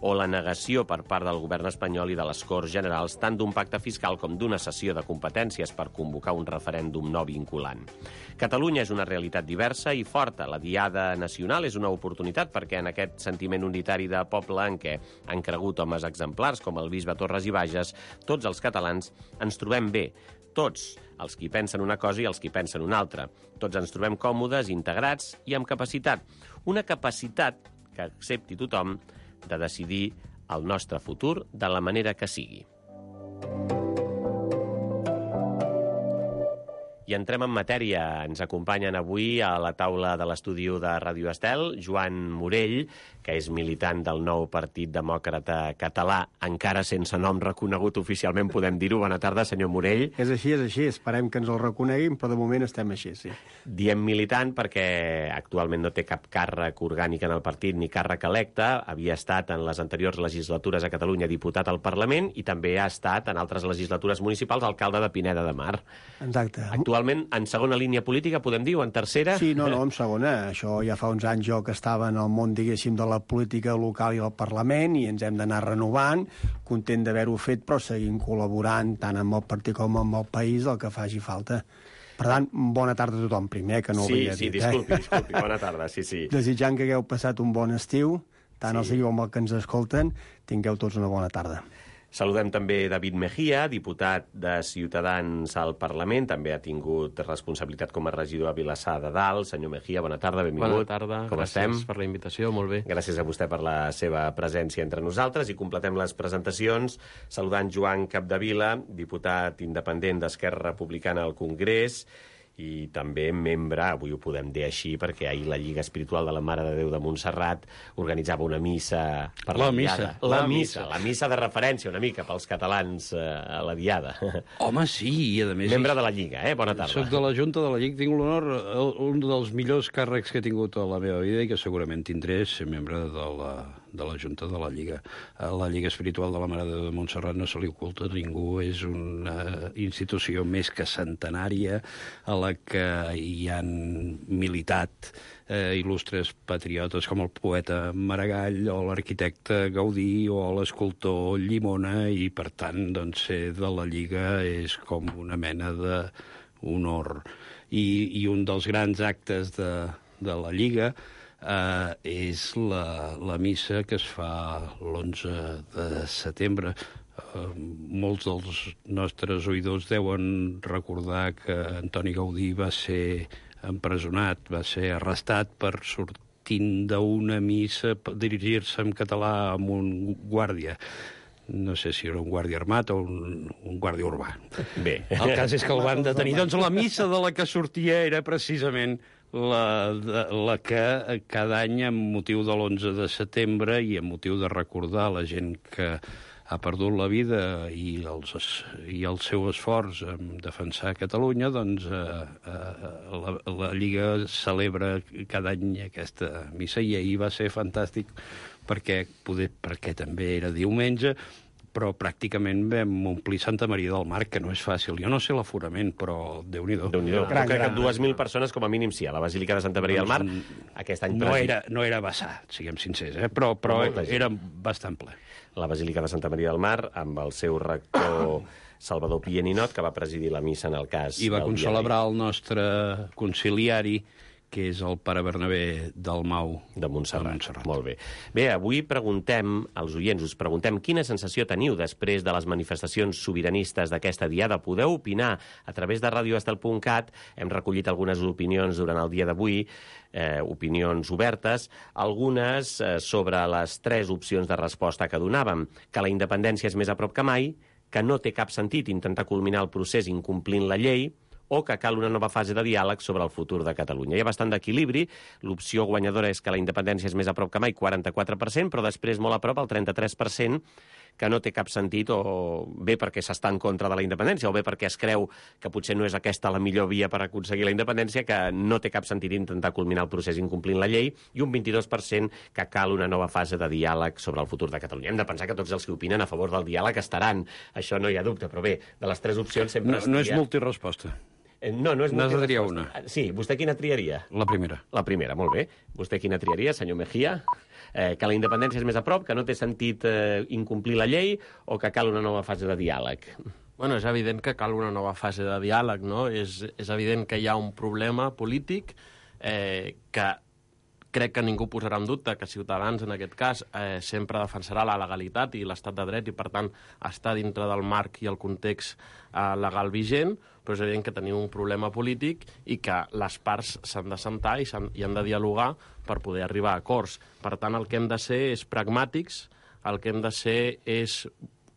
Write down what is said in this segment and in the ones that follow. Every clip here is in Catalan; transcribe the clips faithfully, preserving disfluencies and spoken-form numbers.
o la negació per part del govern espanyol i de les Corts Generals tant d'un pacte fiscal com d'una cessió de competències per convocar un referèndum no vinculant. Catalunya és una realitat diversa i forta. La Diada Nacional és una oportunitat perquè en aquest sentiment unitari de poble en què han cregut homes exemplars com el bisbe Torres i Bages, tots els catalans ens trobem bé. Tots, els qui pensen una cosa i els qui pensen una altra. Tots ens trobem còmodes, integrats i amb capacitat. Una capacitat que accepti tothom de decidir el nostre futur de la manera que sigui. I entrem en matèria. Ens acompanyen avui a la taula de l'estudi de Ràdio Estel Joan Morell, que és militant del nou Partit Demòcrata Català, encara sense nom reconegut oficialment, podem dir-ho. Bona tarda, senyor Morell. És així, és així. Esperem que ens el reconeguin, però de moment estem així, sí. Diem militant perquè actualment no té cap càrrec orgànic en el partit ni càrrec electe. Havia estat en les anteriors legislatures a Catalunya diputat al Parlament i també ha estat en altres legislatures municipals alcalde de Pineda de Mar. Exacte. Actualment en segona línia política, podem dir, o en tercera? Sí, no, no, en segona. Això ja fa uns anys jo que estava en el món, diguéssim, de la política local i al Parlament i ens hem d'anar renovant, content d'haver-ho fet, però seguim col·laborant tant amb el partit com amb el país del que faci falta. Per tant, bona tarda a tothom primer, que no ho sí, havia sí, dit. Sí, disculpi, eh? disculpi, bona tarda, sí, sí. Desitjant que hagueu passat un bon estiu, tant sí. els seguiu com els que ens escolten, tingueu tots una bona tarda. Saludem també David Mejía, diputat de Ciutadans al Parlament. També ha tingut responsabilitat com a regidor a Vilassar de Dalt. Senyor Mejía, bona tarda, benvingut. Bona tarda, com gràcies estem? per la invitació, molt bé. Gràcies a vostè per la seva presència entre nosaltres i completem les presentacions saludant Joan Capdevila, diputat independent d'Esquerra Republicana al Congrés i també membre, avui ho podem dir així, perquè ahir la Lliga Espiritual de la Mare de Déu de Montserrat organitzava una missa per la, la Diada. Missa. La, la missa, la missa de referència una mica pels catalans eh, a la Diada. Home, sí, i a més... Membre de la Lliga, eh? Bona tarda. Soc de la Junta de la Lliga, tinc l'honor, un dels millors càrrecs que he tingut a la meva vida i que segurament tindré ser membre de la, de la Junta de la Lliga. A la Lliga Espiritual de la Mare de Déu de Montserrat no se li oculta a ningú, és una institució més que centenària a la que hi han militat eh, il·lustres patriotes com el poeta Maragall o l'arquitecte Gaudí o l'escultor Llimona i, per tant, doncs, ser de la Lliga és com una mena d'honor. I, i un dels grans actes de, de la Lliga eh, és la, la missa que es fa l'onze de setembre. Uh, molts dels nostres oïdors deuen recordar que Antoni Gaudí va ser empresonat, va ser arrestat per sortint d'una missa, per dirigir-se en català amb un guàrdia. No sé si era un guàrdia armat o un, un guàrdia urbà. Bé. El cas és que el van detenir. Doncs la missa de la que sortia era precisament la, de, la que cada any, amb motiu de l'onze de setembre i amb motiu de recordar la gent que ha perdut la vida i, els, i el seu esforç en defensar Catalunya, doncs eh, eh, la, la Lliga celebra cada any aquesta missa i ahir va ser fantàstic perquè, poder, perquè també era diumenge, però pràcticament vam omplir Santa Maria del Mar, que no és fàcil. Jo no sé l'aforament, però Déu-n'hi-do. Déu-n'hi-do. Crec que dues mil persones com a mínim sí, a la Basílica de Santa Maria del Mar. Aquest any no era, no era vessar, siguem sincers, eh? però, però era bastant ple. La Basílica de Santa Maria del Mar, amb el seu rector Salvador Pianinot, que va presidir la missa en el cas... I va concelebrar el nostre conciliari, que és el pare Bernabé Dalmau de Montserrat. de Montserrat. Molt bé. Bé, avui preguntem als oients, us preguntem quina sensació teniu després de les manifestacions sobiranistes d'aquesta diada. Podeu opinar a través de radio estel punt cat. Hem recollit algunes opinions durant el dia d'avui, eh, opinions obertes, algunes eh, sobre les tres opcions de resposta que donàvem, que la independència és més a prop que mai, que no té cap sentit intentar culminar el procés incomplint la llei, o que cal una nova fase de diàleg sobre el futur de Catalunya. Hi ha bastant d'equilibri. L'opció guanyadora és que la independència és més a prop que mai, quaranta-quatre per cent, però després molt a prop, el trenta-tres per cent, que no té cap sentit, o bé perquè s'està en contra de la independència, o bé perquè es creu que potser no és aquesta la millor via per aconseguir la independència, que no té cap sentit intentar culminar el procés incomplint la llei, i un vint-i-dos per cent que cal una nova fase de diàleg sobre el futur de Catalunya. Hem de pensar que tots els que opinen a favor del diàleg estaran, això no hi ha dubte, però bé, de les tres opcions sempre... No, no és multiresposta. No, no és N'has de múltiple triar resposta. una. Sí, vostè quina triaria? La primera. La primera, molt bé. Vostè quina triaria, senyor Mejía? Eh, que la independència és més a prop, que no té sentit eh, incomplir la llei o que cal una nova fase de diàleg? Bueno, és evident que cal una nova fase de diàleg, no? És, és evident que hi ha un problema polític eh, que crec que ningú posarà en dubte que Ciutadans, en aquest cas, eh, sempre defensarà la legalitat i l'estat de dret i, per tant, està dintre del marc i el context eh, legal vigent, però és evident que tenim un problema polític i que les parts s'han de sentar i, han, i han de dialogar per poder arribar a acords. Per tant, el que hem de ser és pragmàtics, el que hem de ser és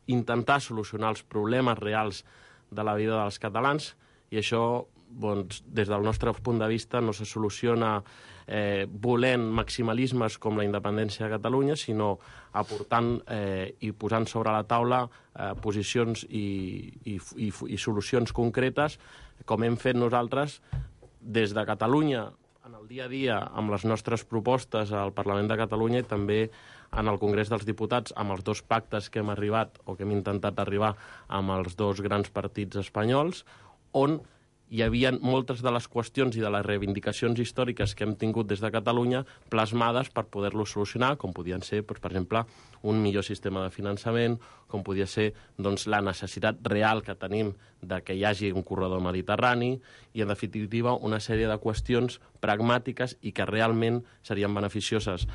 intentar solucionar els problemes reals de la vida dels catalans i això, doncs, des del nostre punt de vista, no se soluciona eh, volent maximalismes com la independència de Catalunya, sinó aportant eh, i posant sobre la taula eh, posicions i, i, i, i solucions concretes, com hem fet nosaltres des de Catalunya en el dia a dia amb les nostres propostes al Parlament de Catalunya i també en el Congrés dels Diputats amb els dos pactes que hem arribat o que hem intentat arribar amb els dos grans partits espanyols, on hi havia moltes de les qüestions i de les reivindicacions històriques que hem tingut des de Catalunya plasmades per poder-lo solucionar, com podien ser, doncs, per exemple, un millor sistema de finançament, com podia ser doncs, la necessitat real que tenim de que hi hagi un corredor mediterrani i, en definitiva, una sèrie de qüestions pragmàtiques i que realment serien beneficioses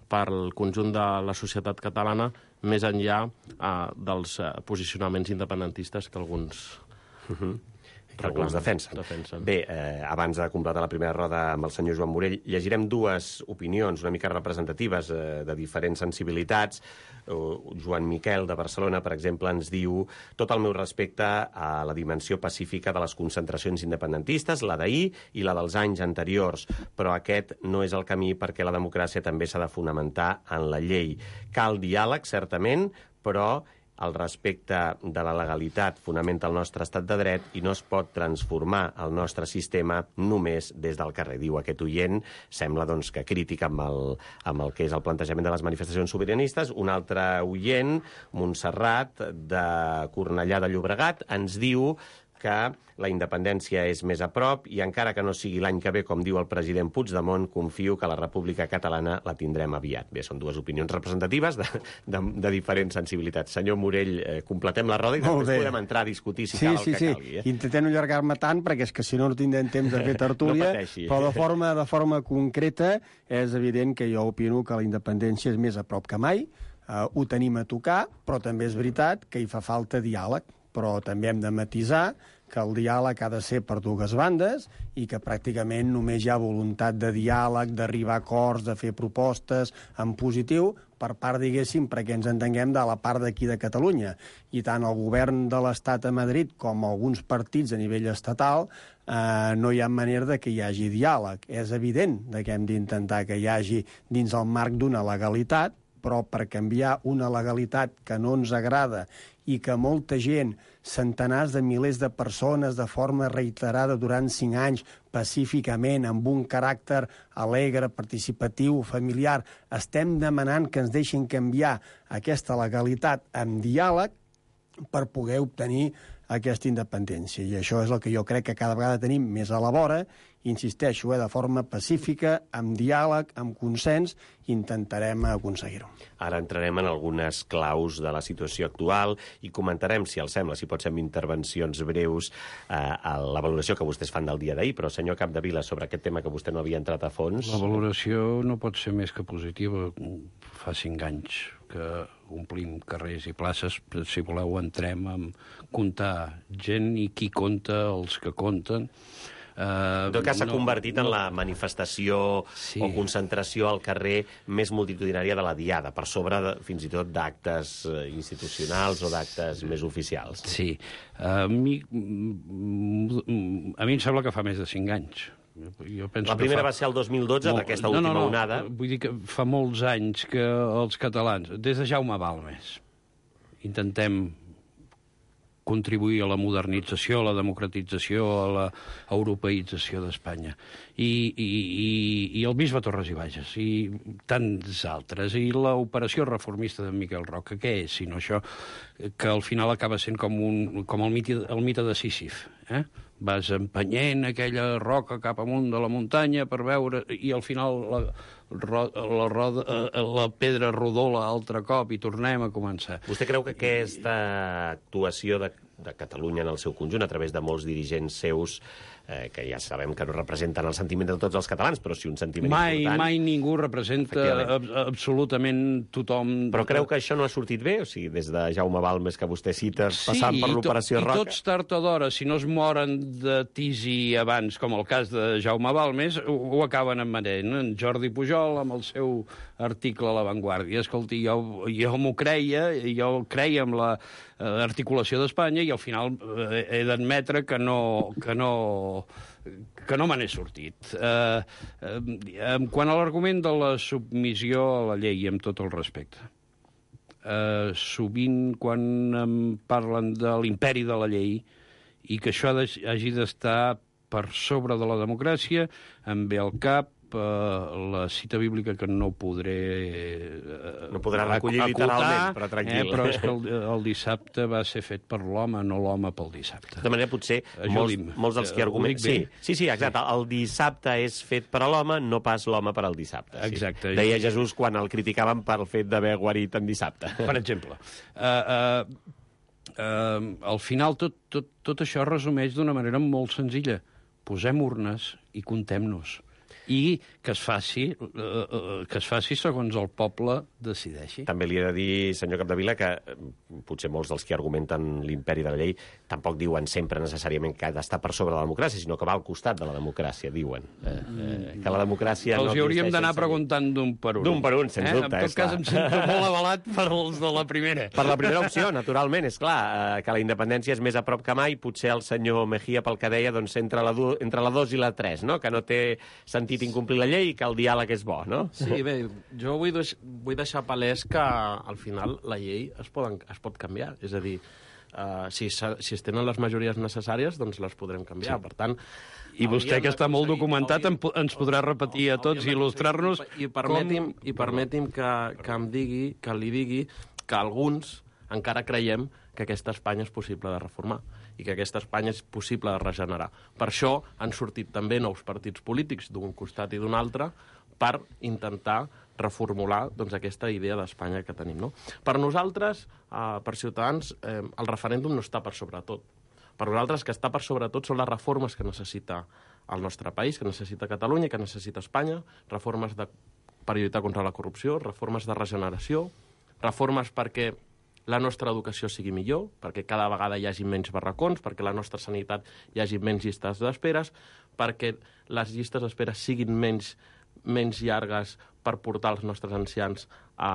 per al conjunt de la societat catalana, més enllà eh, dels eh, posicionaments independentistes que alguns... Uh-huh. que alguns defensen. defensen. Bé, eh, abans de completar la primera roda amb el senyor Joan Morell, llegirem dues opinions una mica representatives eh, de diferents sensibilitats. Uh, Joan Miquel, de Barcelona, per exemple, ens diu: tot el meu respecte a la dimensió pacífica de les concentracions independentistes, la d'ahir i la dels anys anteriors, però aquest no és el camí perquè la democràcia també s'ha de fonamentar en la llei. Cal diàleg, certament, però el respecte de la legalitat fonamenta el nostre estat de dret i no es pot transformar el nostre sistema només des del carrer. Diu aquest oient, sembla doncs, que crític amb el, amb el que és el plantejament de les manifestacions sobiranistes. Un altre oient, Montserrat, de Cornellà de Llobregat, ens diu que la independència és més a prop i encara que no sigui l'any que ve, com diu el president Puigdemont, confio que la República Catalana la tindrem aviat. Bé, són dues opinions representatives de, de, de diferents sensibilitats. Senyor Morell, eh, completem la roda i després podem entrar a discutir si sí, cal el sí, que sí. calgui. Eh? Intentem no allargar-me tant, perquè és que si no no tindrem temps de fer tertúlia, no però de forma, de forma concreta és evident que jo opino que la independència és més a prop que mai, uh, ho tenim a tocar, però també és veritat que hi fa falta diàleg, però també hem de matisar que el diàleg ha de ser per dues bandes i que pràcticament només hi ha voluntat de diàleg, d'arribar a acords, de fer propostes en positiu per part, diguéssim, perquè ens entenguem, de la part d'aquí de Catalunya. I tant el govern de l'Estat a Madrid com alguns partits a nivell estatal eh, no hi ha manera de que hi hagi diàleg. És evident que hem d'intentar que hi hagi dins el marc d'una legalitat, però per canviar una legalitat que no ens agrada i que molta gent, centenars de milers de persones, de forma reiterada durant cinc anys, pacíficament, amb un caràcter alegre, participatiu, familiar, estem demanant que ens deixin canviar aquesta legalitat amb diàleg per poder obtenir aquesta independència. I això és el que jo crec que cada vegada tenim més a la vora. Insisteixo, eh, de forma pacífica, amb diàleg, amb consens, intentarem aconseguir-ho. Ara entrarem en algunes claus de la situació actual i comentarem, si els sembla, si pot ser amb intervencions breus, eh, a la valoració que vostès fan del dia d'ahir. Però, senyor Capdevila, sobre aquest tema que vostè no havia entrat a fons... La valoració no pot ser més que positiva. Fa cinc anys que omplim carrers i places. Si voleu, entrem a comptar gent i qui compta, els que compten. Uh, en tot cas, s'ha no, convertit no, en la manifestació sí. o concentració al carrer més multitudinària de la Diada, per sobre de, fins i tot d'actes institucionals o d'actes sí. més oficials. Sí. Uh, a, mi, a mi em sembla que fa més de cinc anys. Jo penso la primera fa... va ser el dos mil dotze, amb aquesta no, última no, no. onada. Vull dir que fa molts anys que els catalans, des de Jaume Balmes, intentem contribuir a la modernització, a la democratització, a la europeïtzació d'Espanya. I, i, i, i el bisbe Torres i Bages, i tants altres. I l'operació reformista de Miquel Roca, què és, sinó això, que al final acaba sent com, un, com el, mite, el mite de Sísif, eh? vas empenyent aquella roca cap amunt de la muntanya per veure, i al final la, la, roda, la pedra rodola altre cop i tornem a començar. Vostè creu que aquesta actuació de, de Catalunya en el seu conjunt, a través de molts dirigents seus, eh, que ja sabem que no representen el sentiment de tots els catalans, però sí un sentiment mai, important... Mai ningú representa ab absolutament tothom... Però creu que això no ha sortit bé? O sigui, des de Jaume Balmes, que vostè cita, sí, passant per l'operació Roca... Sí, i tots tard o d'hora, si no es moren de tisi abans, com el cas de Jaume Balmes, ho, ho acaben emmanent. En Jordi Pujol, amb el seu article a La Vanguardia. Escolti, jo, jo m'ho creia, jo creia amb la eh, articulació d'Espanya, i al final eh, he d'admetre que no... Que no que no me n'he sortit. Eh, eh, quant a l'argument de la submissió a la llei, amb tot el respecte, eh, sovint quan em parlen de l'imperi de la llei i que això hagi d'estar per sobre de la democràcia, em ve al cap eh, la cita bíblica que no podré eh, no podrà recollir acotar, literalment, però tranquil. Eh, però és que el, el dissabte va ser fet per l'home, no l'home pel dissabte. De manera, potser, molts, molts dels que argumenten... Sí, sí, sí, exacte. El dissabte és fet per a l'home, no pas l'home per al dissabte. Sí. Exacte. Deia Jesús quan el criticaven pel fet d'haver guarit en dissabte. Per exemple. Uh, uh, uh, al final, tot, tot, tot això es resumeix d'una manera molt senzilla. Posem urnes i comptem-nos. I que es faci uh, uh, que es faci segons el poble decideixi. També li he de dir, senyor Capdevila, que potser molts dels que argumenten l'imperi de la llei tampoc diuen sempre necessàriament que ha d'estar per sobre de la democràcia, sinó que va al costat de la democràcia, diuen. Eh, eh, que la democràcia... Els no hi hauríem d'anar sense... preguntant d'un per un. D'un per un, sens eh? dubte. En tot cas, clar. Em sento molt avalat per els de la primera. Per la primera opció, naturalment, és clar, eh, que la independència és més a prop que mai, potser el senyor Mejía, pel que deia, doncs entre la, du entre la dos i la tres, no? Que no té sentit incomplir la llei i que el diàleg és bo, no? Sí, bé, jo vull, deix vull deixar palès que al final la llei es, poden, es pot canviar. És a dir, uh, si, si es tenen les majories necessàries, doncs les podrem canviar. Sí. Per tant, i vostè, que està molt documentat, ens podrà repetir a tots i il·lustrar-nos... I permeti'm, com... i permeti'm que, que em digui, que li digui que alguns encara creiem que aquesta Espanya és possible de reformar i que aquesta Espanya és possible de regenerar. Per això han sortit també nous partits polítics d'un costat i d'un altre per intentar reformular doncs, aquesta idea d'Espanya que tenim. No? Per nosaltres, eh, per Ciutadans, eh, el referèndum no està per sobre tot. Per nosaltres, que està per sobre tot són les reformes que necessita el nostre país, que necessita Catalunya, que necessita Espanya, reformes de, per lluitar contra la corrupció, reformes de regeneració, reformes perquè la nostra educació sigui millor, perquè cada vegada hi hagi menys barracons, perquè la nostra sanitat hi hagi menys llistes d'esperes, perquè les llistes d'espera siguin menys, menys llargues per portar els nostres ancians a,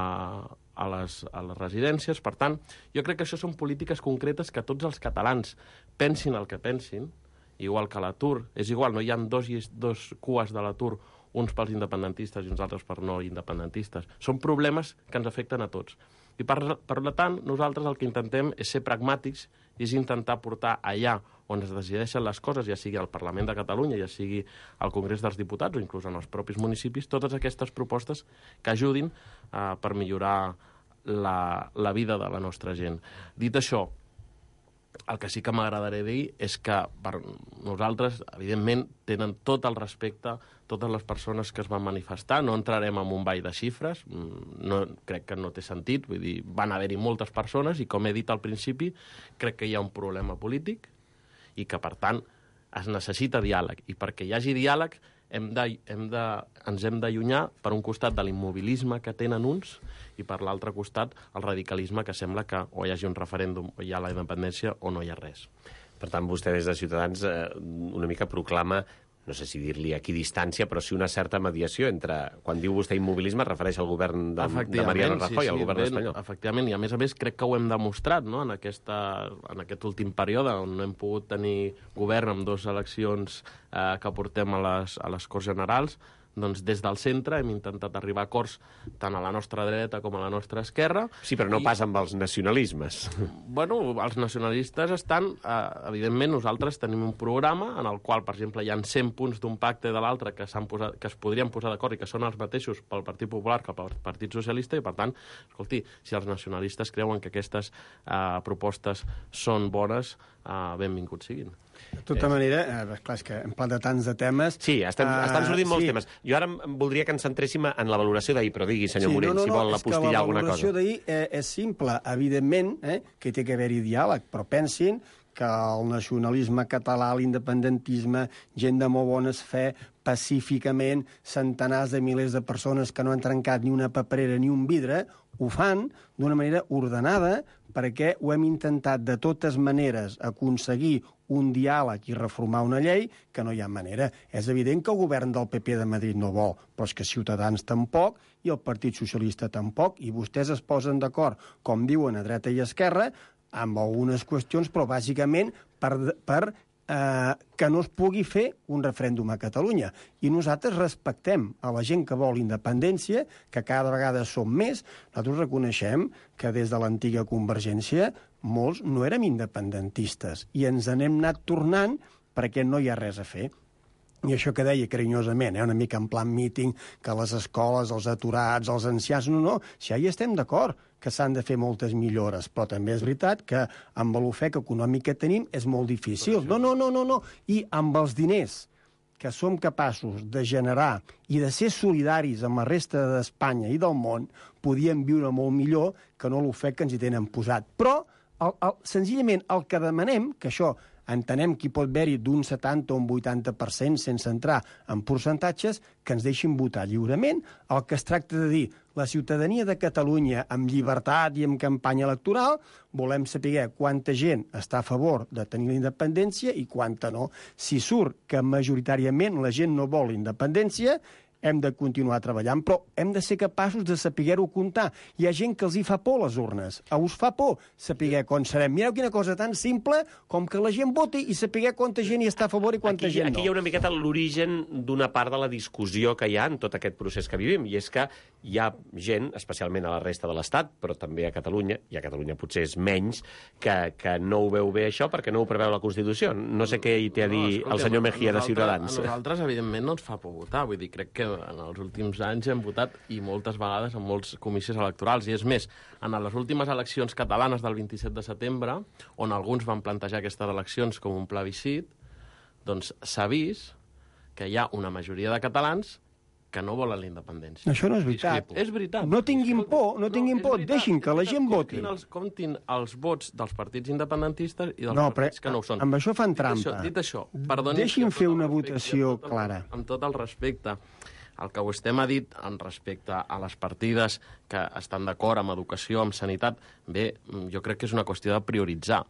a, les, a les residències. Per tant, jo crec que això són polítiques concretes que tots els catalans pensin el que pensin, igual que l'atur. És igual, no hi ha dos, dos cues de l'atur, uns pels independentistes i uns altres per no independentistes. Són problemes que ens afecten a tots. I per, per tant, nosaltres el que intentem és ser pragmàtics i és intentar portar allà on es decideixen les coses, ja sigui al Parlament de Catalunya, ja sigui al Congrés dels Diputats o inclús en els propis municipis, totes aquestes propostes que ajudin eh, per millorar la, la vida de la nostra gent. Dit això, el que sí que m'agradaria dir és que per nosaltres, evidentment, tenen tot el respecte totes les persones que es van manifestar. No entrarem en un ball de xifres, no, crec que no té sentit, vull dir, van haver-hi moltes persones i, com he dit al principi, crec que hi ha un problema polític i que, per tant, es necessita diàleg. I perquè hi hagi diàleg hem de, hem de, ens hem d'allunyar, per un costat, de l'immobilisme que tenen uns i, per l'altre costat, el radicalisme que sembla que o hi hagi un referèndum o hi ha la independència o no hi ha res. Per tant, vostè des de Ciutadans eh, una mica proclama, no sé si dir-li a distància, però sí una certa mediació entre... Quan diu vostè immobilisme, es refereix al govern de, de Mariano Rajoy, sí, sí, al govern ben, espanyol. Efectivament, i a més a més crec que ho hem demostrat, no?, en, aquesta, en aquest últim període, on no hem pogut tenir govern amb dues eleccions eh, que portem a les, a les Corts Generals. Doncs des del centre hem intentat arribar a acords tant a la nostra dreta com a la nostra esquerra. Sí, però no I, pas amb els nacionalismes. Bueno, els nacionalistes estan... Eh, evidentment, nosaltres tenim un programa en el qual, per exemple, hi ha cent punts d'un pacte de l'altre que, posat, que es podrien posar d'acord i que són els mateixos pel Partit Popular que pel Partit Socialista, i, per tant, escolti, si els nacionalistes creuen que aquestes eh, propostes són bones, uh, benvinguts siguin. De tota manera, eh, clar, és que hem parlat de tants de temes... Sí, estan, uh, estan sortint molts sí. temes. Jo ara em voldria que ens centréssim en la valoració d'ahir, però digui, senyor sí, Morell, no, no, si vol no, apostillar alguna cosa. La valoració d'ahir eh, és simple. Evidentment eh, que té que haver-hi diàleg, però pensin que el nacionalisme català, l'independentisme, gent de molt bones fe, pacíficament, centenars de milers de persones que no han trencat ni una paperera ni un vidre, ho fan d'una manera ordenada perquè ho hem intentat de totes maneres aconseguir un diàleg i reformar una llei que no hi ha manera. És evident que el govern del P P de Madrid no vol, però és que Ciutadans tampoc i el Partit Socialista tampoc, i vostès es posen d'acord, com diuen a dreta i esquerra, amb algunes qüestions, però bàsicament per, per eh, que no es pugui fer un referèndum a Catalunya. I nosaltres respectem a la gent que vol independència, que cada vegada som més. Nosaltres reconeixem que des de l'antiga Convergència molts no érem independentistes i ens n'hem anat tornant perquè no hi ha res a fer. I això que deia carinyosament, eh, una mica en plan míting, que les escoles, els aturats, els ancians... No, no, si ja hi estem d'acord que s'han de fer moltes millores, però també és veritat que amb l'ofec econòmic que tenim és molt difícil. No, no, no, no, no. I amb els diners que som capaços de generar i de ser solidaris amb la resta d'Espanya i del món, podíem viure molt millor que no l'ofec que ens hi tenen posat. Però, el, el, senzillament, el que demanem, que això entenem que hi pot haver-hi d'un setanta o un vuitanta per cent, sense entrar en percentatges, que ens deixin votar lliurement. El que es tracta de dir, la ciutadania de Catalunya, amb llibertat i amb campanya electoral, volem saber quanta gent està a favor de tenir la independència i quanta no. Si surt que majoritàriament la gent no vol la independència, hem de continuar treballant, però hem de ser capaços de saber-ho comptar. Hi ha gent que els hi fa por les urnes. A us fa por saber com serem. Mireu quina cosa tan simple com que la gent voti i saber quanta gent hi està a favor i quanta aquí, gent no. Aquí hi ha una miqueta l'origen d'una part de la discussió que hi ha en tot aquest procés que vivim, i és que hi ha gent, especialment a la resta de l'Estat, però també a Catalunya, i a Catalunya potser és menys, que, que no ho veu bé això perquè no ho preveu la Constitució. No sé què hi té a dir no, escolta, el senyor Mejía de Ciutadans. A nosaltres, evidentment, no ens fa por votar. Vull dir, crec que en els últims anys hem votat i moltes vegades en molts comicis electorals. I és més, en les últimes eleccions catalanes del vint-i-set de setembre, on alguns van plantejar aquestes eleccions com un plebiscit, doncs s'ha vist que hi ha una majoria de catalans que no volen la independència. Això no és veritat. Discrepo. És veritat. No tinguin por, no tinguin por, deixin que la gent voti. Comptin els, comptin els vots dels partits independentistes i dels no, partits però, que no ho són. Amb això fan trampa. Dit això, dit això perdoni, deixin fer una respecte, votació amb clara. El, amb tot el respecte, el que vostè m'ha dit en respecte a les partides que estan d'acord amb educació, amb sanitat, bé, jo crec que és una qüestió de prioritzar.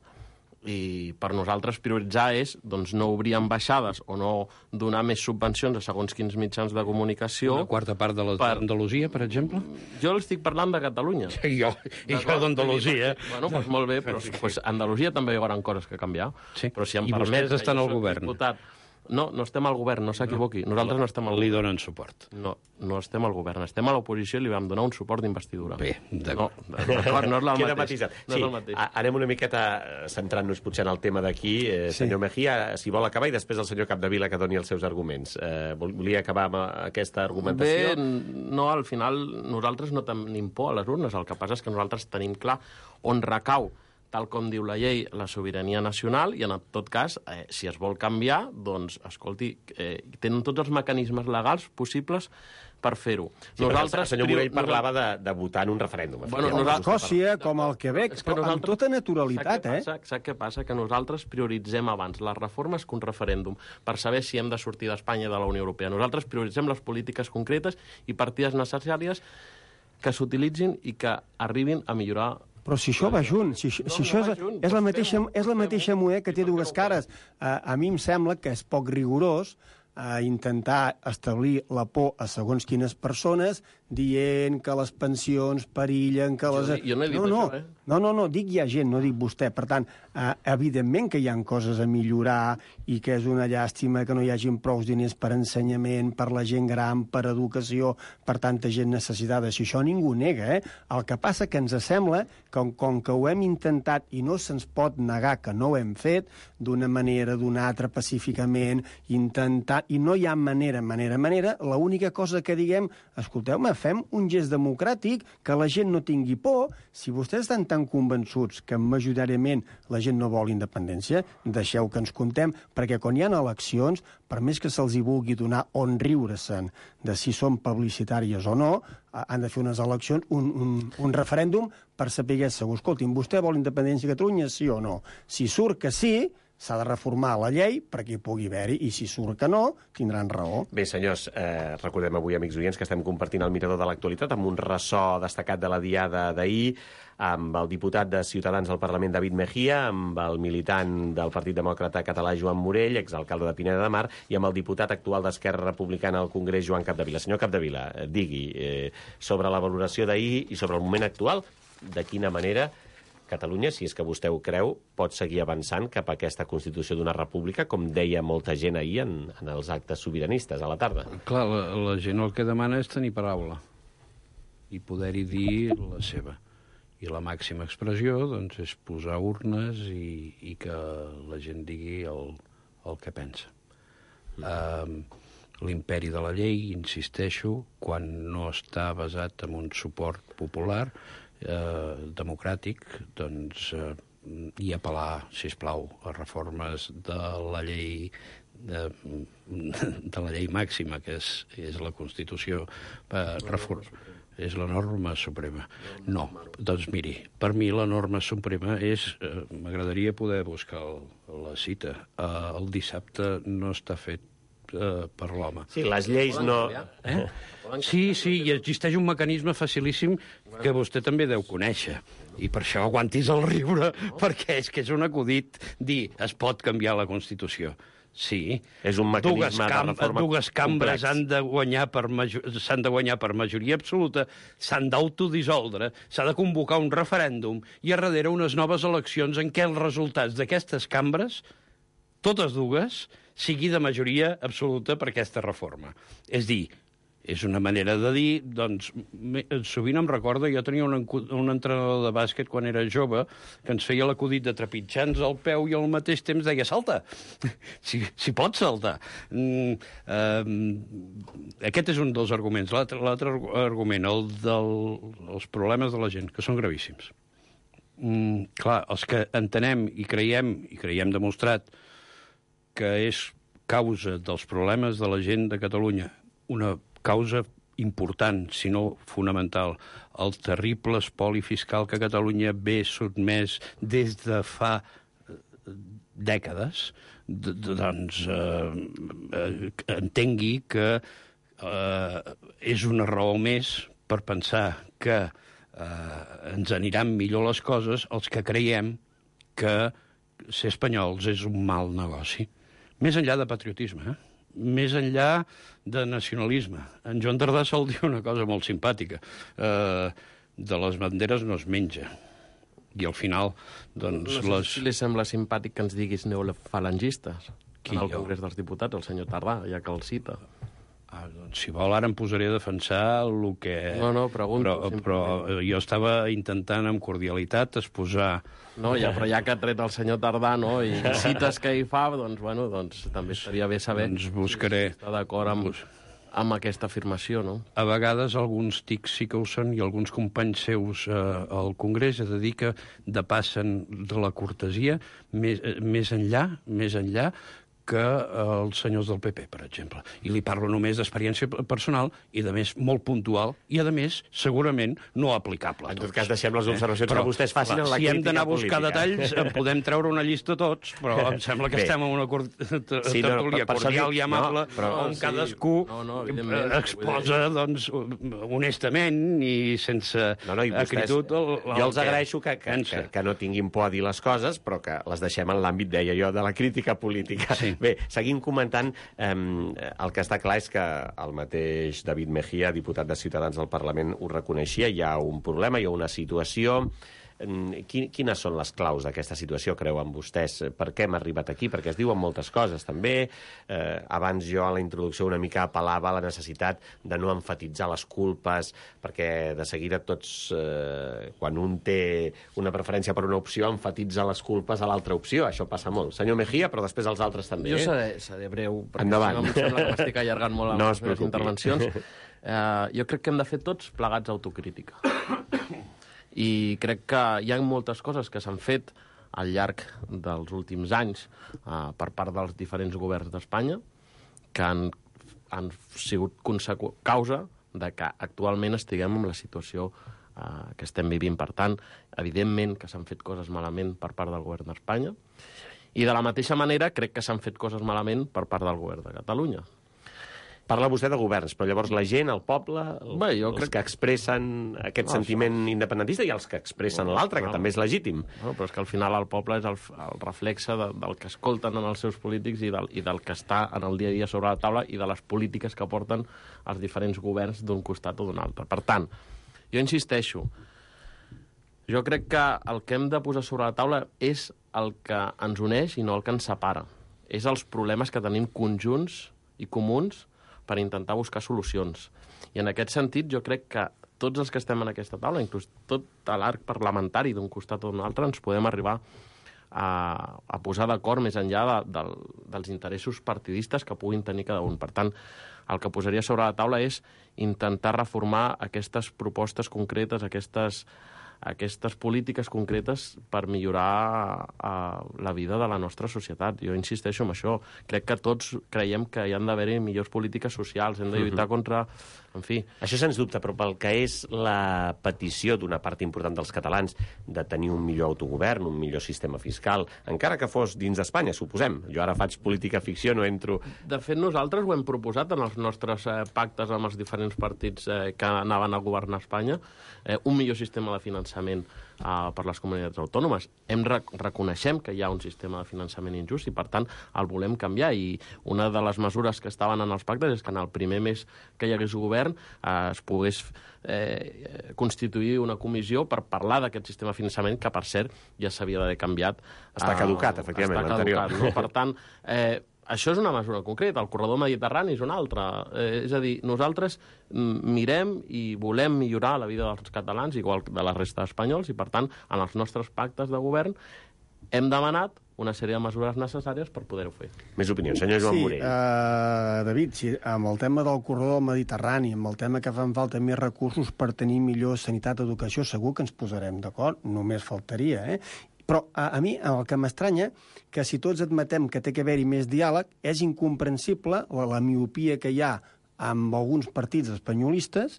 I per nosaltres prioritzar és doncs, no obrir ambaixades o no donar més subvencions a segons quins mitjans de comunicació. Una quarta part de l'Andalusia, per... per exemple? Jo estic parlant de Catalunya. I jo, i jo d'Andalusia. Bueno, doncs molt bé, però pues, a Andalusia també hi haurà coses que canviar. Sí. Però si em I permet, vostès estan al govern. Diputat, no, no estem al govern, no s'equivoqui. Nosaltres no estem al govern. Li donen suport. No, no estem al govern. Estem a l'oposició i li vam donar un suport d'investidura. Bé, d'acord. No, d'acord, no és el Queda mateix. matisat. No sí, és el mateix. anem una miqueta centrant-nos potser en el tema d'aquí. Eh, sí. Senyor Mejía, si vol acabar, i després el senyor Capdevila que doni els seus arguments. Eh, volia acabar amb aquesta argumentació? Bé, no, al final nosaltres no tenim por a les urnes. El que passa és que nosaltres tenim clar on recau, tal com diu la llei, la sobirania nacional, i en tot cas, eh, si es vol canviar, doncs, escolti, eh, tenen tots els mecanismes legals possibles per fer-ho. Sí, nosaltres, el senyor Morell parlava de, de votar en un referèndum. Bueno, com a Escòcia, com al Quebec, és que però amb tota naturalitat, eh? Sap què passa? Que nosaltres prioritzem abans les reformes que un referèndum per saber si hem de sortir d'Espanya i de la Unió Europea. Nosaltres prioritzem les polítiques concretes i partides necessàries que s'utilitzin i que arribin a millorar. Però si això va junt, si, si no, això no és, junt, és la mateixa, és la mateixa moneda que té dues cares. A, a mi em sembla que és poc rigorós a intentar establir la por a segons quines persones dient que les pensions perillen, que les... Jo, jo no he dit no, no, això, eh? No, no, no, dic hi ha gent, no dic vostè. Per tant, eh, evidentment que hi ha coses a millorar i que és una llàstima que no hi hagin prou diners per ensenyament, per la gent gran, per educació, per tanta gent necessitada. Si això ningú nega, eh? El que passa que ens sembla que com que ho hem intentat i no se'ns pot negar que no ho hem fet, d'una manera, d'una altra, pacíficament, intentant tant, i no hi ha manera, manera, manera, l'única cosa que diguem, escolteu-me, fem un gest democràtic, que la gent no tingui por. Si vostès estan tan convençuts que majoritàriament la gent no vol independència, deixeu que ens contem, perquè quan hi ha eleccions, per més que se'ls hi vulgui donar on riure-se'n de si són publicitàries o no, han de fer unes eleccions, un, un, un referèndum per saber segur. Escolti'm, vostè vol independència a Catalunya, sí o no? Si surt que sí, s'ha de reformar la llei perquè hi pugui haver-hi, i si surt que no, tindran raó. Bé, senyors, eh, recordem avui, amics oients, que estem compartint el mirador de l'actualitat amb un ressò destacat de la diada d'ahir, amb el diputat de Ciutadans al Parlament, David Mejía, amb el militant del Partit Demòcrata Català, Joan Morell, exalcalde de Pineda de Mar, i amb el diputat actual d'Esquerra Republicana al Congrés, Joan Capdevila. Senyor Capdevila, digui, eh, sobre la valoració d'ahir i sobre el moment actual, de quina manera Catalunya, si és que vostè ho creu, pot seguir avançant cap a aquesta constitució d'una república, com deia molta gent ahir en, en els actes sobiranistes a la tarda. Clar, la, la gent el que demana és tenir paraula i poder-hi dir la seva. I la màxima expressió, doncs, és posar urnes i, i que la gent digui el, el que pensa. Mm. Uh, L'imperi de la llei, insisteixo, quan no està basat en un suport popular, eh, democràtic, doncs, eh, i apel·lar, sisplau, a reformes de la llei de, de la llei màxima, que és, és la Constitució, eh, reform, és la norma suprema. No, doncs miri, per mi la norma suprema és, eh, m'agradaria poder buscar el, la cita, eh, el dissabte no està fet per l'home. Sí, les lleis no... Eh? Sí, sí, i existeix un mecanisme facilíssim que vostè també deu conèixer. I per això aguantis el riure, perquè és que és un acudit dir es pot canviar la Constitució. Sí. És un mecanisme dues cam de reforma dues cambres han de guanyar per s'han de guanyar per majoria absoluta, s'han d'autodissoldre, s'ha de convocar un referèndum i a darrere unes noves eleccions en què els resultats d'aquestes cambres, totes dues, sigui de majoria absoluta per aquesta reforma. És dir, és una manera de dir, doncs, sovint em recorda, jo tenia un, un entrenador de bàsquet quan era jove, que ens feia l'acudit de trepitjar-nos el peu i al mateix temps deia, salta, si, si pots saltar. Mm, eh, aquest és un dels arguments. L'altre argument, el dels problemes de la gent, que són gravíssims. Mm, clar, els que entenem i creiem, i creiem demostrat, que és causa dels problemes de la gent de Catalunya, una causa important, si no fonamental, el terrible espoli fiscal que Catalunya ve sotmès des de fa dècades, doncs eh, eh, entengui que eh, és una raó més per pensar que eh, ens aniran millor les coses els que creiem que ser espanyols és un mal negoci. Més enllà de patriotisme, eh? Més enllà de nacionalisme. En Joan Tardà sol dir una cosa molt simpàtica. Eh, de les banderes no es menja. I al final, doncs... No sé les... si li sembla simpàtic que ens diguis neofalangistes Qui, en el jo? Congrés dels Diputats, el senyor Tardà, ja que el cita. Ah, doncs, si vol, ara em posaré a defensar el que... No, no, pregunto. Però, però jo estava intentant amb cordialitat exposar... No, ja, però ja que ha tret el senyor Tardà, no?, i cites que hi fa, doncs, bueno, doncs també estaria bé saber Doncs buscaré... si està d'acord amb, Bus... amb aquesta afirmació, no? A vegades alguns tics sí que ho són i alguns companys seus eh, al Congrés es dedica de passen de la cortesia més, eh, més enllà, més enllà que els senyors del P P, per exemple. I li parlo només d'experiència personal i, de més, molt puntual i, a més, segurament no aplicable a tots. En tot tots. cas, deixem les observacions eh? que vostès facin en la si crítica hem d'anar a buscar política. detalls, en podem treure una llista tots, però em sembla que Bé. estem en una cor... Sí, no, tertúlia per- per cordial això dic- i amable, no, però- on sí. cadascú No, no, evidentment. exposa, doncs, honestament i sense No, no, i vostès, acritud... El, el jo els que agraeixo que, que, pensa. que, que no tinguin por a dir les coses, però que les deixem en l'àmbit, deia jo, de la crítica política. Sí. Bé, seguim comentant, eh, el que està clar és que el mateix David Mejía, diputat de Ciutadans al Parlament, ho reconeixia, hi ha un problema, hi ha una situació Quines són les claus d'aquesta situació, creuen vostès? Per què hem arribat aquí? Perquè es diuen moltes coses, també. Eh, abans jo, a la introducció, una mica apel·lava a la necessitat de no emfatitzar les culpes, perquè de seguida tots, eh, quan un té una preferència per una opció, emfatitza les culpes a l'altra opció. Això passa molt. Senyor Mejía, però després els altres també. Jo seré, seré breu, perquè Endavant. si no em sembla que m'estic allargant molt amb no les meves intervencions. Eh, jo crec que hem de fer tots plegats autocrítica. I crec que hi ha moltes coses que s'han fet al llarg dels últims anys eh, per part dels diferents governs d'Espanya que han, han sigut causa de que actualment estiguem en la situació eh, que estem vivint. Per tant, evidentment que s'han fet coses malament per part del govern d'Espanya i de la mateixa manera crec que s'han fet coses malament per part del govern de Catalunya. Parla vostè de governs, però llavors la gent, el poble, el, Bé, jo els crec... que expressen aquest No, sentiment independentista i els que expressen Bueno, l'altre, que no. també és legítim. No, però és que al final el poble és el, el reflexe de, del que escolten en els seus polítics i del, i del que està en el dia a dia sobre la taula i de les polítiques que porten els diferents governs d'un costat o d'un altre. Per tant, jo insisteixo, jo crec que el que hem de posar sobre la taula és el que ens uneix i no el que ens separa. És els problemes que tenim conjunts i comuns per intentar buscar solucions. I en aquest sentit jo crec que tots els que estem en aquesta taula, inclús tot l'arc parlamentari d'un costat o d'un altre, ens podem arribar a, a posar d'acord més enllà de, de, dels interessos partidistes que puguin tenir cada un. Per tant, el que posaria sobre la taula és intentar reformar aquestes propostes concretes, aquestes, aquestes polítiques concretes per millorar uh, la vida de la nostra societat. Jo insisteixo en això. Crec que tots creiem que hi han d'haver-hi millors polítiques socials, hem de lluitar uh-huh. contra... En fi... Això sens dubte, però pel que és la petició d'una part important dels catalans de tenir un millor autogovern, un millor sistema fiscal, encara que fos dins d'Espanya, suposem. Jo ara faig política ficció, no entro... De fet, nosaltres ho hem proposat en els nostres eh, pactes amb els diferents partits eh, que anaven a governar Espanya, eh, un millor sistema de finançament uh, per les comunitats autònomes. Hem re reconeixem que hi ha un sistema de finançament injust i, per tant, el volem canviar. I una de les mesures que estaven en els pactes és que en el primer mes que hi hagués govern eh, es pogués eh, constituir una comissió per parlar d'aquest sistema de finançament que, per cert, ja s'havia d'haver canviat. Està caducat, efectivament, l'anterior. No? Per tant, eh, això és una mesura concreta. El corredor mediterrani és una altra. Eh, és a dir, nosaltres mirem i volem millorar la vida dels catalans, igual de la resta d'espanyols, i, per tant, en els nostres pactes de govern hem demanat una sèrie de mesures necessàries per poder-ho fer. Més opinions. Senyor Joan sí, Morell. Uh, David, sí, amb el tema del corredor mediterrani, amb el tema que fan falta més recursos per tenir millor sanitat i educació, segur que ens posarem d'acord, només faltaria, eh? Però a, a mi el que m'estranya que si tots admetem que té que haver-hi més diàleg, és incomprensible la, la miopia que hi ha amb alguns partits espanyolistes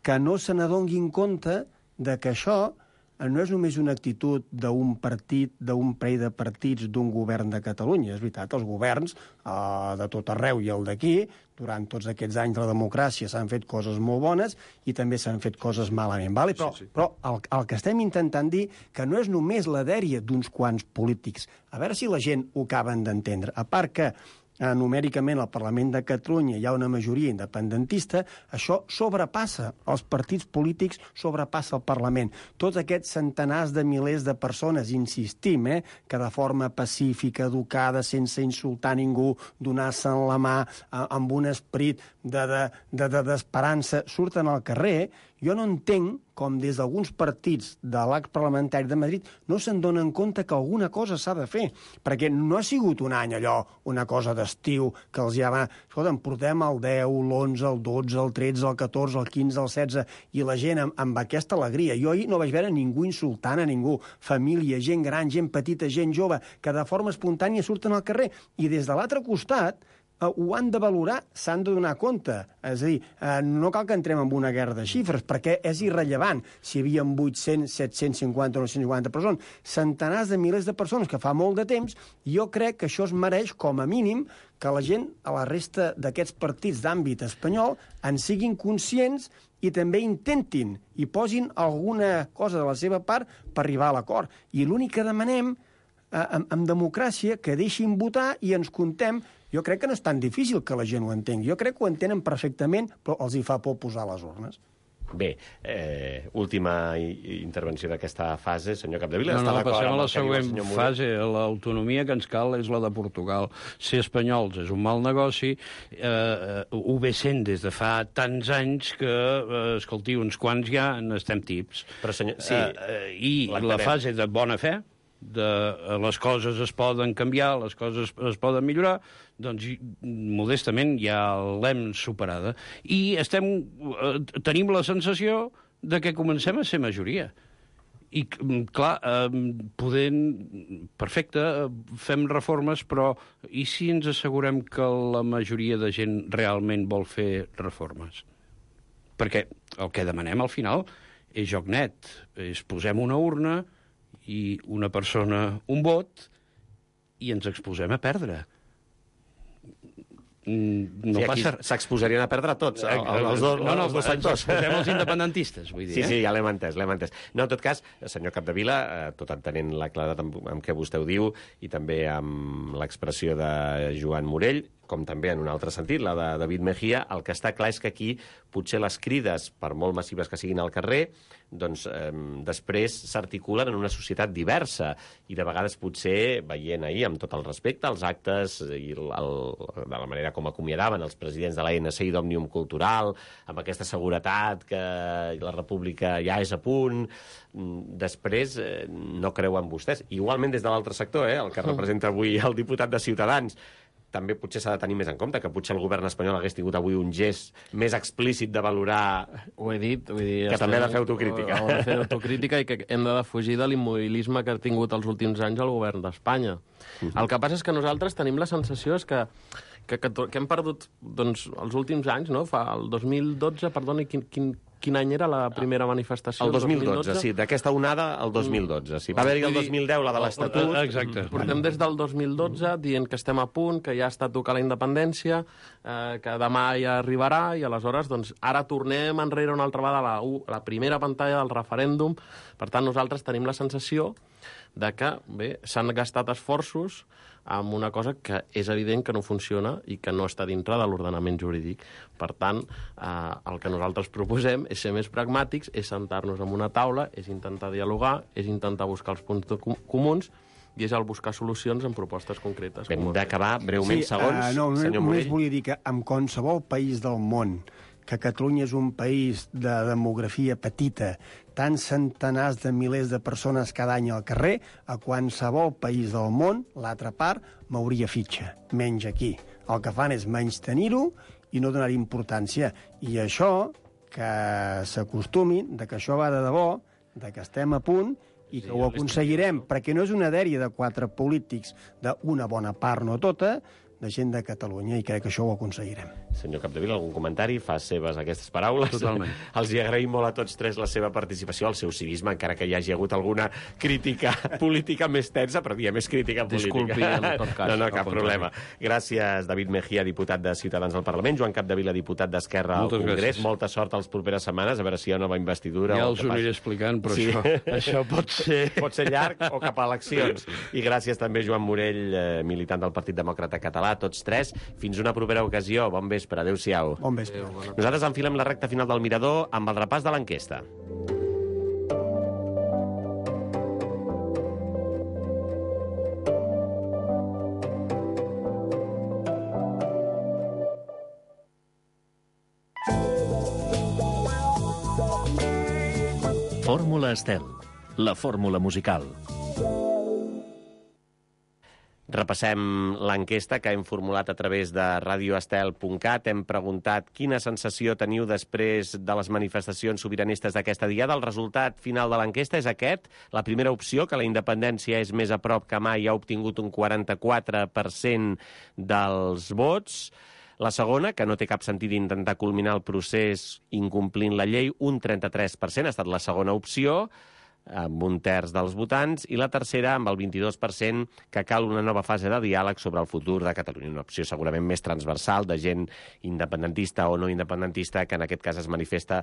que no se n'adonguin compte de que això no és només una actitud d'un partit, d'un parell de partits d'un govern de Catalunya. És veritat, els governs eh, de tot arreu i el d'aquí, durant tots aquests anys de la democràcia s'han fet coses molt bones i també s'han fet coses malament. Vale? Però, sí, sí. però el, el que estem intentant dir que no és només la dèria d'uns quants polítics. A veure si la gent ho acaben d'entendre. A part que eh, numèricament al Parlament de Catalunya hi ha una majoria independentista, això sobrepassa els partits polítics, sobrepassa el Parlament. Tots aquests centenars de milers de persones, insistim, eh, que de forma pacífica, educada, sense insultar ningú, donar-se en la mà, eh, amb un esperit d'esperança, de, de, de, surten al carrer. Jo no entenc com des d'alguns partits de l'arc parlamentari de Madrid no se'n donen compte que alguna cosa s'ha de fer, perquè no ha sigut un any allò, una cosa d'estiu, que els ja va... Escolta'm, portem el deu, l'onze, el dotze, el tretze, el catorze, el quinze, el setze, i la gent amb, amb aquesta alegria. Jo ahir no vaig veure ningú insultant a ningú, família, gent gran, gent petita, gent jove, que de forma espontània surten al carrer, i des de l'altre costat ho han de valorar, s'han de donar compte. És a dir, no cal que entrem en una guerra de xifres, perquè és irrellevant si hi havia vuit-cents, set-cents cinquanta o nou-cents cinquanta persones. Centenars de milers de persones que fa molt de temps, i jo crec que això es mereix, com a mínim, que la gent, a la resta d'aquests partits d'àmbit espanyol, en siguin conscients i també intentin i posin alguna cosa de la seva part per arribar a l'acord. I l'únic que demanem, en, en democràcia, que deixin votar i ens contem. Jo crec que no és tan difícil que la gent ho entengui. Jo crec que ho entenen perfectament, però els hi fa por posar les urnes. Bé, eh, última intervenció d'aquesta fase, senyor Capdevila. No, no, passem a la següent fase. L'autonomia que ens cal és la de Portugal. Ser espanyols és un mal negoci, eh, ho ve sent des de fa tants anys que, eh, escolti, uns quants ja n'estem tips. Però, senyor, sí, eh, I la fase de bona fe, de les coses es poden canviar, les coses es poden millorar, doncs modestament ja l'hem superada. I estem, eh, tenim la sensació de que comencem a ser majoria. I, clar, eh, podent... Perfecte, fem reformes, però i si ens assegurem que la majoria de gent realment vol fer reformes? Perquè el que demanem al final és joc net. És posem una urna i una persona un vot i ens exposem a perdre. No sí, passa... S'exposarien a perdre tots, el, el, els, dos, no, no, els dos sectors. Ens exposem els independentistes, vull dir. Sí, eh? sí, ja l'hem entès, l'hem entès. No, en tot cas, senyor Capdevila, eh, tot entenent la claredat amb, amb què vostè ho diu i també amb l'expressió de Joan Morell, com també en un altre sentit, la de David Mejía, el que està clar és que aquí potser les crides, per molt massives que siguin al carrer, doncs eh, després s'articulen en una societat diversa i de vegades potser, veient ahir, amb tot el respecte, els actes i el, el, de la manera com acomiadaven els presidents de l'A N C i d'Òmnium Cultural, amb aquesta seguretat que la república ja és a punt, després eh, no creuen vostès. Igualment des de l'altre sector, eh, el que representa avui el diputat de Ciutadans, també potser s'ha de tenir més en compte, que potser el govern espanyol hagués tingut avui un gest més explícit de valorar... Ho he dit, vull dir... Que també ha de fer autocrítica. Ha de fer autocrítica i que hem de defugir de l'immobilisme que ha tingut els últims anys el govern d'Espanya. Uh-huh. El que passa és que nosaltres tenim la sensació és que, que, que, que hem perdut doncs, els últims anys, no? Fa el dos mil dotze, perdoni, quin, quin, quin any era la primera manifestació? El dos mil dotze, sí, d'aquesta onada el dos mil dotze. Sí. Va haver-hi el dos mil deu, la de l'Estatut. Exacte. Portem des del dos mil dotze dient que estem a punt, que ja està a tocar la independència, eh, que demà ja arribarà, i aleshores doncs, ara tornem enrere una altra vegada a la, la primera pantalla del referèndum. Per tant, nosaltres tenim la sensació de que bé, s'han gastat esforços amb una cosa que és evident que no funciona i que no està dintre de l'ordenament jurídic. Per tant, eh, el que nosaltres proposem és ser més pragmàtics, és sentar-nos en una taula, és intentar dialogar, és intentar buscar els punts com comuns i és el buscar solucions en propostes concretes. Hem d'acabar breument, sí, segons, uh, no, senyor Morell. Només Morell. volia dir que en qualsevol país del món, que Catalunya és un país de demografia petita, tants centenars de milers de persones cada any al carrer, a qualsevol país del món, l'altra part mouria fitxa, menys aquí. El que fan és menys tenir-ho i no donar importància. I això, que s'acostumin, de que això va de debò, de que estem a punt i que sí, ho aconseguirem, perquè no és una dèria de quatre polítics, d'una bona part, no tota, de gent de Catalunya, i crec que això ho aconseguirem. Senyor Capdevila, algun comentari? Fa seves aquestes paraules. Totalment. Els hi agraïm molt a tots tres la seva participació, el seu civisme, encara que hi hagi hagut alguna crítica política més tensa, però diem, més crítica política. Disculpi, en tot cas. No, no, cap problema. Gràcies, David Mejía, diputat de Ciutadans al Parlament, Joan Capdevila, diputat d'Esquerra al Congrés. Gràcies. Molta sort als properes setmanes, a veure si hi ha nova investidura. Ja els ho aniré explicant, però sí. això, això pot ser... Pot ser llarg o cap a eleccions. I gràcies també, Joan Morell, eh, militant del Partit Demòcrata Català, tots tres. Fins una propera ocasió. Bon vespre. Adéu-siau. Bon vespre. Nosaltres enfilem la recta final del Mirador amb el repàs de l'enquesta. Fórmula Estel, la fórmula musical. Repassem l'enquesta que hem formulat a través de radio estel punt cat. Hem preguntat quina sensació teniu després de les manifestacions sobiranistes d'aquesta diada. El resultat final de l'enquesta és aquest. La primera opció, que la independència és més a prop que mai, ha obtingut un quaranta-quatre per cent dels vots. La segona, que no té cap sentit intentar culminar el procés incomplint la llei, un trenta-tres per cent, ha estat la segona opció, amb un terç dels votants, i la tercera, amb el vint-i-dos per cent, que cal una nova fase de diàleg sobre el futur de Catalunya. Una opció segurament més transversal, de gent independentista o no independentista, que en aquest cas es manifesta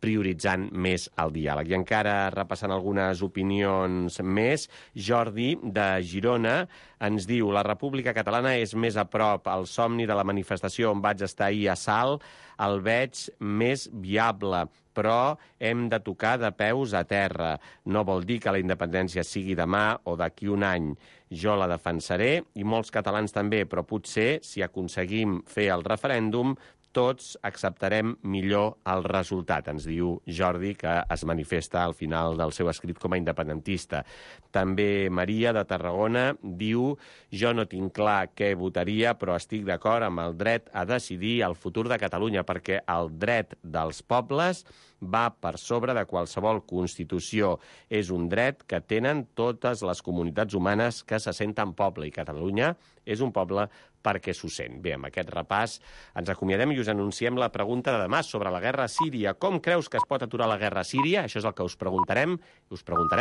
prioritzant més el diàleg. I encara repassant algunes opinions més, Jordi, de Girona, ens diu: la República Catalana és més a prop al somni de la manifestació on vaig estar ahir a Salt. el veig més viable, però hem de tocar de peus a terra. No vol dir que la independència sigui demà o d'aquí un any. Jo la defensaré, i molts catalans també, però potser, si aconseguim fer el referèndum, tots acceptarem millor el resultat, ens diu Jordi, que es manifesta al final del seu escrit com a independentista. També Maria, de Tarragona, diu: jo no tinc clar què votaria, però estic d'acord amb el dret a decidir el futur de Catalunya, perquè el dret dels pobles va per sobre de qualsevol constitució. És un dret que tenen totes les comunitats humanes que se senten poble, i Catalunya és un poble perquè s'ho sent. Bé, amb aquest repàs ens acomiadem i us anunciem la pregunta de demà sobre la guerra a Síria. Com creus que es pot aturar la guerra a Síria? Això és el que us preguntarem. Us preguntarem